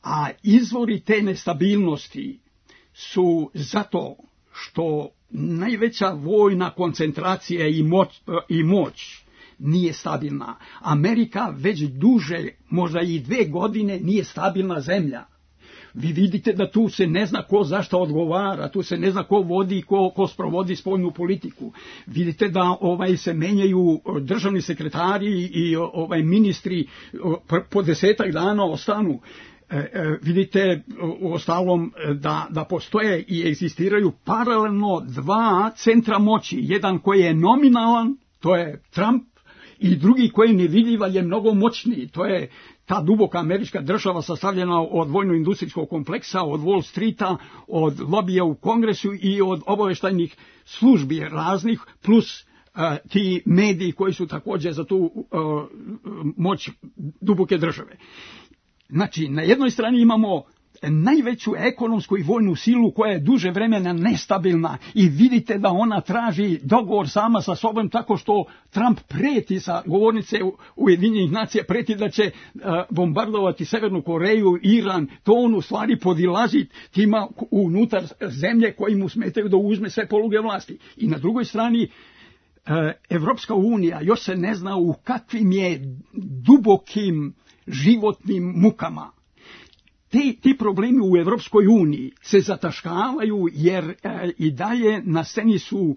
A izvori te nestabilnosti su zato što najveća vojna koncentracija i moć nije stabilna. Amerika već duže, možda i 2 godine, nije stabilna zemlja. Vi vidite da tu se ne zna ko zašto odgovara, tu se ne zna ko vodi, ko sprovodi spoljnu politiku. Vidite da se menjaju državni sekretari i ministri po 10 dana ostanu. Vidite u ostalom da postoje i egzistiraju paralelno 2 centra moći. Jedan koji je nominalan, to je Trump, i drugi koji je nevidljiv, ali je mnogo moćniji. To je ta duboka američka država sastavljena od vojno-industrijskog kompleksa, od Wall Streeta, od lobija u Kongresu i od obaveštajnih službi raznih, plus ti mediji koji su također za tu moć duboke države. Znači, na jednoj strani imamo najveću ekonomsku i vojnu silu koja je duže vremena nestabilna i vidite da ona traži dogovor sama sa sobom tako što Trump preti sa govornice Ujedinjenih nacija, preti da će bombardovati Severnu Koreju, Iran, to on u stvari podilazi tima unutar zemlje koji mu smetaju da uzme sve poluge vlasti. I na drugoj strani Evropska unija još se ne zna u kakvim je dubokim životnim mukama. Ti problemi u Evropskoj uniji se zataškavaju jer i dalje na sceni su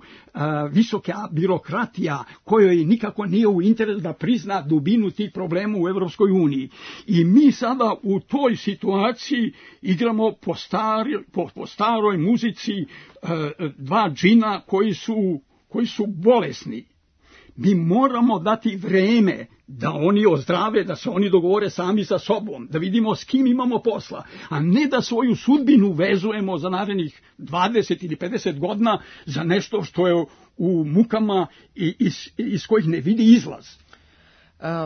visoka birokratija kojoj nikako nije u interesu da prizna dubinu tih problema u Evropskoj uniji. I mi sada u toj situaciji igramo po staroj muzici 2 džina koji su bolesni. Mi moramo dati vreme da oni ozdrave, da se oni dogovore sami sa sobom, da vidimo s kim imamo posla, a ne da svoju sudbinu vezujemo za narednih 20 ili 50 godina za nešto što je u mukama i iz kojih ne vidi izlaz.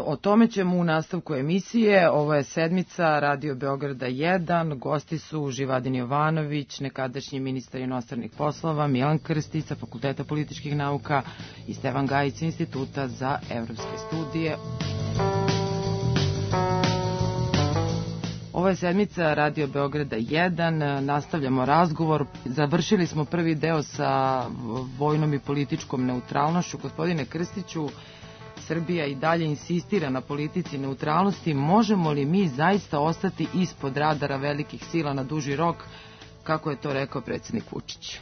O tome ćemo u nastavku emisije. Ovo je sedmica Radio Beograda 1. Gosti su Živadin Jovanović, nekadašnji ministar inostranih poslova, Milan Krstić sa Fakulteta političkih nauka i Stevan Gajić sa Instituta za evropske studije. Ovo je sedmica Radio Beograda 1. Nastavljamo razgovor. Završili smo prvi deo sa vojnom i političkom neutralnošću. Gospodine Krstiću, Srbija i dalje insistira na politici neutralnosti. Možemo li mi zaista ostati ispod radara velikih sila na duži rok, kako je to rekao predsjednik Vučić?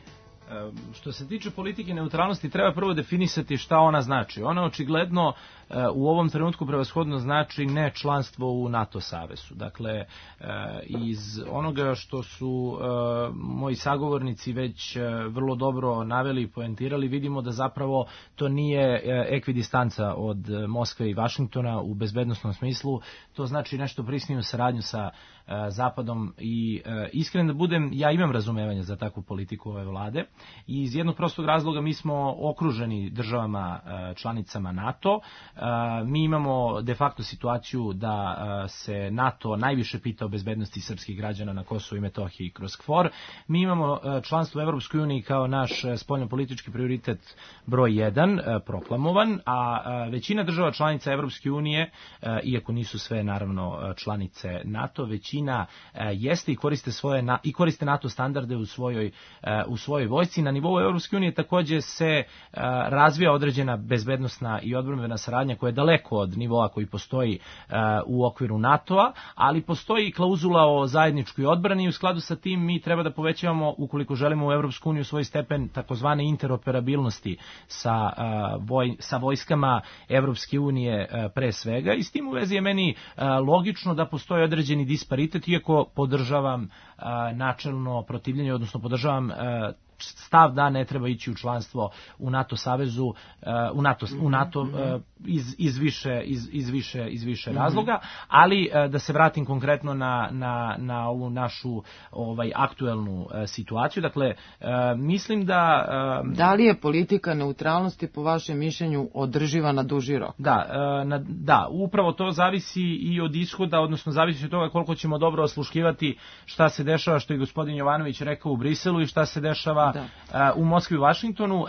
Što se tiče politike neutralnosti, treba prvo definisati šta ona znači. Ona očigledno u ovom trenutku prevashodno znači ne članstvo u NATO savezu. Dakle, iz onoga što su moji sagovornici već vrlo dobro naveli i poentirali, vidimo da zapravo to nije ekvidistanca od Moskve i Vašingtona u bezbednosnom smislu. To znači nešto prisniju saradnju sa Zapadom i iskren da budem, ja imam razumevanje za takvu politiku ove vlade i iz jednog prostog razloga mi smo okruženi državama članicama NATO. Mi imamo de facto situaciju da se NATO najviše pita o bezbednosti srpskih građana na Kosovu i Metohiji kroz KFOR. Mi imamo članstvo u Evropskoj uniji kao naš spoljnopolitički prioritet broj 1 proklamovan, a većina država članica Evropske unije, iako nisu sve naravno članice NATO, većina jeste i koriste NATO standarde u svojoj vojsci. vojsci. Na nivou Europske unije takođe se razvija određena bezbednosna i odbrambena saradnja koja je daleko od nivoa koji postoji u okviru NATO-a, ali postoji i klauzula o zajedničkoj odbrani i u skladu sa tim mi treba da povećavamo, ukoliko želimo u Europsku uniju, svoj stepen takozvane interoperabilnosti sa vojskama Evropske unije pre svega, i s tim u vezi je meni logično da postoji određeni disparitet, iako podržavam načelno protivljenje, odnosno podržavam stav da ne treba ići u članstvo u NATO savezu, u NATO iz više razloga, ali da se vratim konkretno na ovu našu aktuelnu situaciju. Dakle, mislim da li je politika neutralnosti po vašem mišljenju održiva na duži rok? Da, upravo to zavisi i od ishoda, odnosno zavisi od toga koliko ćemo dobro osluškivati šta se dešava, što je gospodin Jovanović rekao, u Briselu i šta se dešava u Moskvi i Vašingtonu.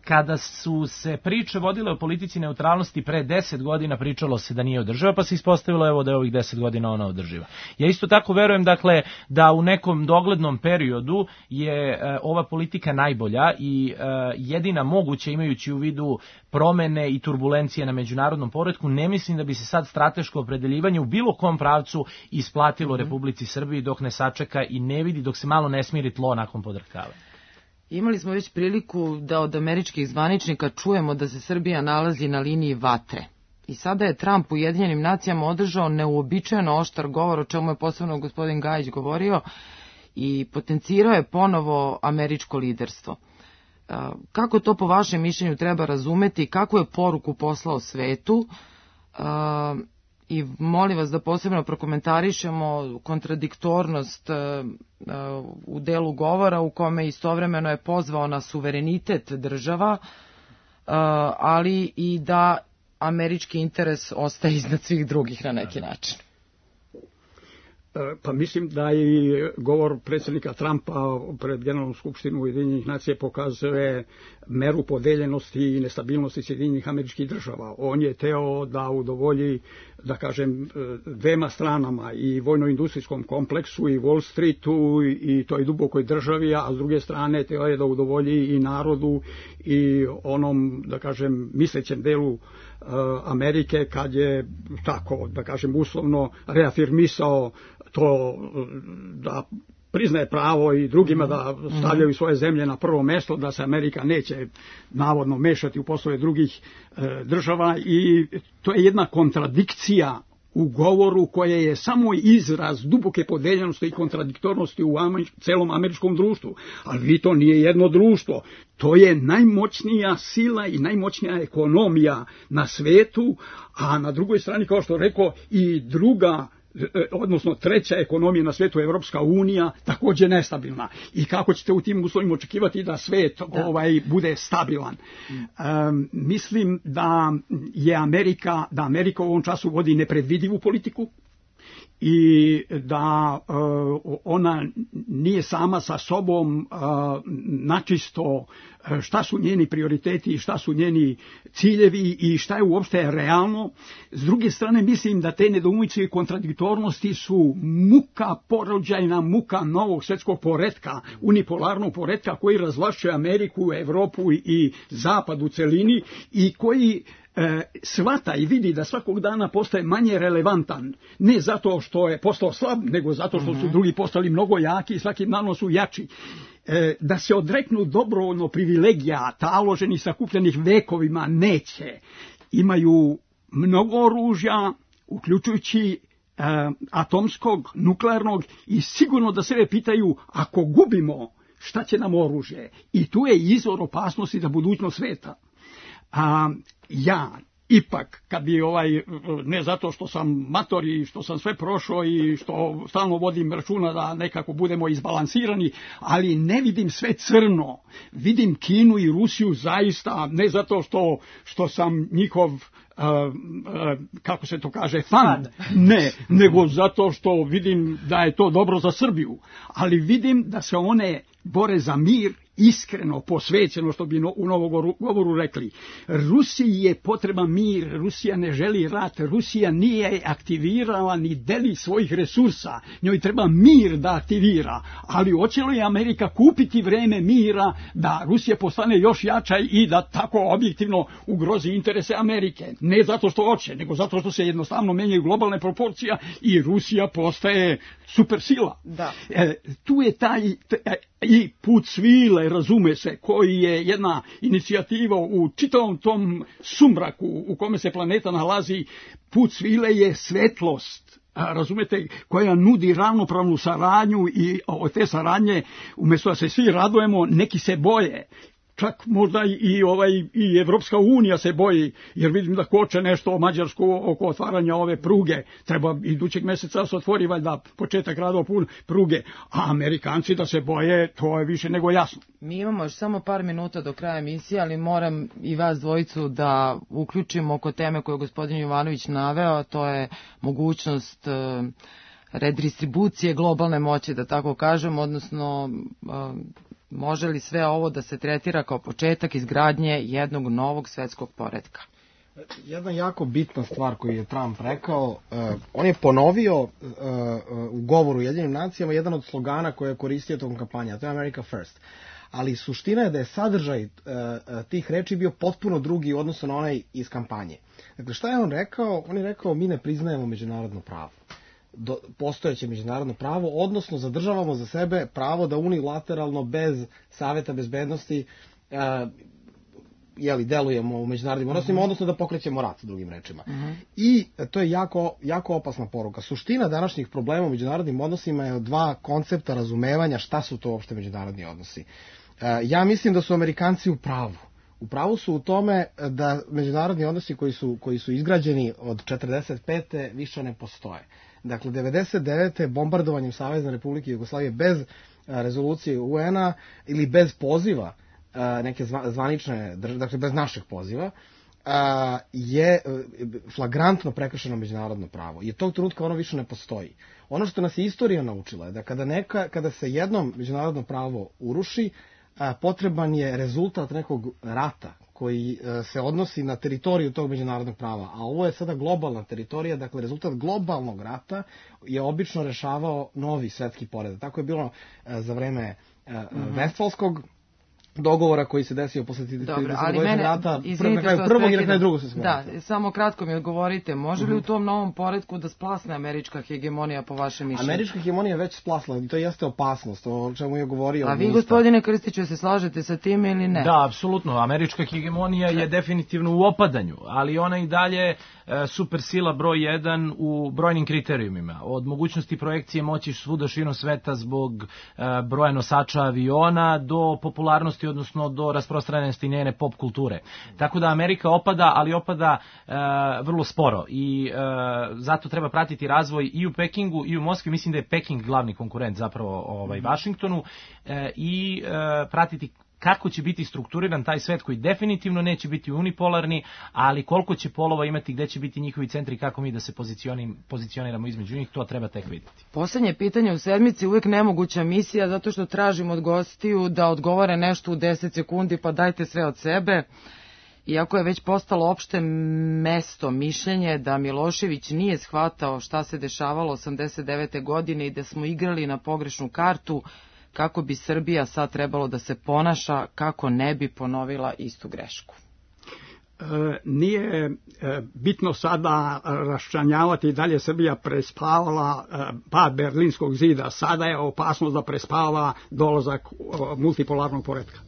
Kada su se priče vodile o politici neutralnosti pre 10 godina, pričalo se da nije održiva, pa se ispostavilo da je ovih 10 godina ona održiva. Ja isto tako verujem, dakle, da u nekom doglednom periodu je ova politika najbolja i jedina moguća, imajući u vidu promene i turbulencije na međunarodnom poretku. Ne mislim da bi se sad strateško opredeljivanje u bilo kom pravcu isplatilo Republici Srbiji dok ne sačeka i ne vidi, dok se malo ne smiri tlo nakon podrhtavanja. Imali smo već priliku da od američkih zvaničnika čujemo da se Srbija nalazi na liniji vatre. I sada je Trump u Ujedinjenim nacijama održao neuobičajeno oštar govor, o čemu je posebno gospodin Gajić govorio, i potencirao je ponovo američko liderstvo. Kako to po vašem mišljenju treba razumeti, kakvu je poruku poslao svetu, i molim vas da posebno prokomentarišemo kontradiktornost u delu govora u kome istovremeno je pozvao na suverenitet država, ali i da američki interes ostaje iznad svih drugih na neki način. Pa mislim da i govor predsjednika Trumpa pred Generalnom skupštinu Ujedinjenih nacija pokazuje meru podeljenosti i nestabilnosti Sjedinjenih Američkih Država. On je teo da udovolji, da kažem, dvema stranama, i vojno-industrijskom kompleksu i Wall Streetu i toj dubokoj državi, a s druge strane teo je da udovolji i narodu i onom, da kažem, mislećem delu Amerike, kad je tako, da kažem, uslovno reafirmisao to da priznaje pravo i drugima da stavljaju svoje zemlje na prvo mesto, da se Amerika neće navodno mešati u poslove drugih država, i to je jedna kontradikcija u govoru koje je samo izraz duboke podeljenosti i kontradiktornosti u celom američkom društvu. Ali to nije jedno društvo, to je najmoćnija sila i najmoćnija ekonomija na svetu, a na drugoj strani, kao što rekao, i druga, odnosno treća ekonomija na svetu, Evropska unija, također nestabilna. I kako ćete u tim uslovima očekivati da svet bude stabilan? Mislim da je Amerika u ovom času vodi nepredvidivu politiku i da ona nije sama sa sobom načisto šta su njeni prioriteti i šta su njeni ciljevi i šta je uopšte realno. S druge strane, mislim da te nedoumice i kontradiktornosti su muka porođajna, muka novog svjetskog poretka, unipolarnog poretka koji razvlašćuje Ameriku, Evropu i Zapad u celini i koji shvata i vidi da svakog dana postaje manje relevantan, ne zato što je postao slab, nego zato što su drugi postali mnogo jaki i svakim danom su jači. Da se odreknu dobrovoljno privilegija taloženih, sakupljenih vekovima, neće. Imaju mnogo oružja, uključujući atomskog, nuklearnog, i sigurno da sebe pitaju, ako gubimo, šta će nam oružje? I tu je izvor opasnosti za budućnost sveta. Ja ipak, kad bi ne zato što sam mator i što sam sve prošao i što stalno vodim računa da nekako budemo izbalansirani, ali ne vidim sve crno. Vidim Kinu i Rusiju zaista, ne zato što sam njihov, kako se to kaže, fan, ne, nego zato što vidim da je to dobro za Srbiju. Ali vidim da se one bore za mir iskreno, posvećeno, što bi u novom govoru rekli. Rusiji je potreban mir, Rusija ne želi rat, Rusija nije aktivirala ni deli svojih resursa, njoj treba mir da aktivira, ali hoće li Amerika kupiti vreme mira da Rusija postane još jača i da tako objektivno ugrozi interese Amerike? Ne zato što hoće, nego zato što se jednostavno menjaju globalne proporcije i Rusija postaje supersila. Da. Tu je taj i put svile, razume se, koji je jedna inicijativa u čitavom tom sumraku u kome se planeta nalazi. Put svile je svetlost, razumete, koja nudi ravnopravnu saradnju i od te saradnje, umjesto da se svi radujemo, neki se boje. Čak možda i Evropska unija se boji, jer vidim da koče nešto o Mađarsku oko otvaranja ove pruge. Treba idućeg mjeseca se otvori valjda početak radova pruge, a Amerikanci da se boje, to je više nego jasno. Mi imamo još samo par minuta do kraja emisije, ali moram i vas dvojicu da uključimo oko teme koju je gospodin Jovanović naveo, a to je mogućnost redistribucije globalne moći, da tako kažem, odnosno može li sve ovo da se tretira kao početak izgradnje jednog novog svetskog poretka? Jedna jako bitna stvar koju je Trump rekao, on je ponovio u govoru Ujedinjenim nacijama jedan od slogana koje je koristio tokom kampanje, a to je America First. Ali suština je da je sadržaj tih reči bio potpuno drugi u odnosu na onaj iz kampanje. Dakle, šta je on rekao? On je rekao, mi ne priznajemo međunarodno pravo. Postojeće međunarodno pravo, odnosno zadržavamo za sebe pravo da unilateralno bez Saveta bezbednosti delujemo u međunarodnim odnosima, odnosno da pokrećemo rat, drugim rečima. I to je jako opasna poruka. Suština današnjih problema u međunarodnim odnosima je dva koncepta razumevanja šta su to uopšte međunarodni odnosi. Ja mislim da su Amerikanci u pravu. U pravu su u tome da međunarodni odnosi koji su izgrađeni od 45. više ne postoje. Dakle, 99. bombardovanjem Savezne Republike Jugoslavije bez rezolucije UN-a ili bez poziva neke zvanične, dakle bez našeg poziva, je flagrantno prekršeno međunarodno pravo. I od tog trenutka ono više ne postoji. Ono što nas je istorija naučila je da kada se jednom međunarodno pravo uruši, potreban je rezultat nekog rata koji se odnosi na teritoriju tog međunarodnog prava, a ovo je sada globalna teritorija, dakle rezultat globalnog rata je obično rešavao novi svetski poredak. Tako je bilo za vreme Vestfalskog dogovora koji se desio posle 30. rata, prvog i na kraju drugog svjetskog rata. Da, samo kratko mi odgovorite, može li u tom novom poretku da splasne američka hegemonija po vašem mišljenju? Američka hegemonija već splasla i to jeste opasnost, o čemu je govorio. A vi, gospodine Krstiću, se slažete sa tim ili ne? Da, apsolutno, američka hegemonija je definitivno u opadanju, ali ona i dalje supersila broj 1 u brojnim kriterijumima, od mogućnosti projekcije moći svuda širom sveta zbog broja nosača aviona do popularnosti, odnosno do rasprostranjenosti njene pop kulture. Tako da Amerika opada, ali opada vrlo sporo i zato treba pratiti razvoj i u Pekingu i u Moskvi. Mislim da je Peking glavni konkurent zapravo Vašingtonu i pratiti kako će biti strukturiran taj svet koji definitivno neće biti unipolarni, ali koliko će polova imati, gde će biti njihovi centri, kako mi da se pozicioniramo između njih, to treba tek vidjeti. Poslednje pitanje u sedmici, uvijek nemoguća misija, zato što tražim od gostiju da odgovore nešto u 10 sekundi, pa dajte sve od sebe. Iako je već postalo opšte mesto mišljenje da Milošević nije shvatao šta se dešavalo 89. godine i da smo igrali na pogrešnu kartu, kako bi Srbija sad trebalo da se ponaša kako ne bi ponovila istu grešku? Nije bitno sada raščlanjavati da li je Srbija prespavala pad Berlinskog zida. Sada je opasnost da prespava dolazak multipolarnog poretka.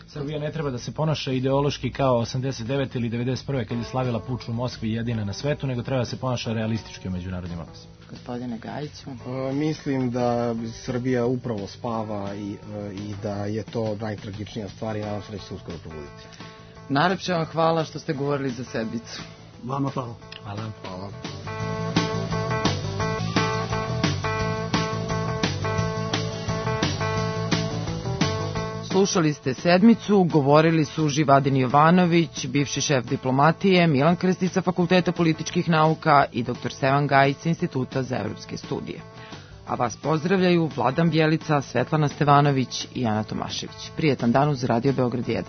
Srbija ne treba da se ponaša ideološki kao 89. ili 91. kad je slavila puč u Moskvi jedina na svetu, nego treba da se ponaša realistički u međunarodnim odnosima. Gospodine Gajiću? Mislim da Srbija upravo spava i da je to najtragičnija stvar i nadam se da će se uskoro probuditi. Najlepše vam hvala što ste govorili za sedmicu. Vama hvala. Hvala. Slušali ste sedmicu, govorili su Živadin Jovanović, bivši šef diplomatije, Milan Krstić sa Fakulteta političkih nauka i dr. Stevan Gajić sa Instituta za evropske studije. A vas pozdravljaju Vladan Bjelica, Svetlana Stevanović i Ana Tomašević. Prijetan dan uz Radio Beograd 1.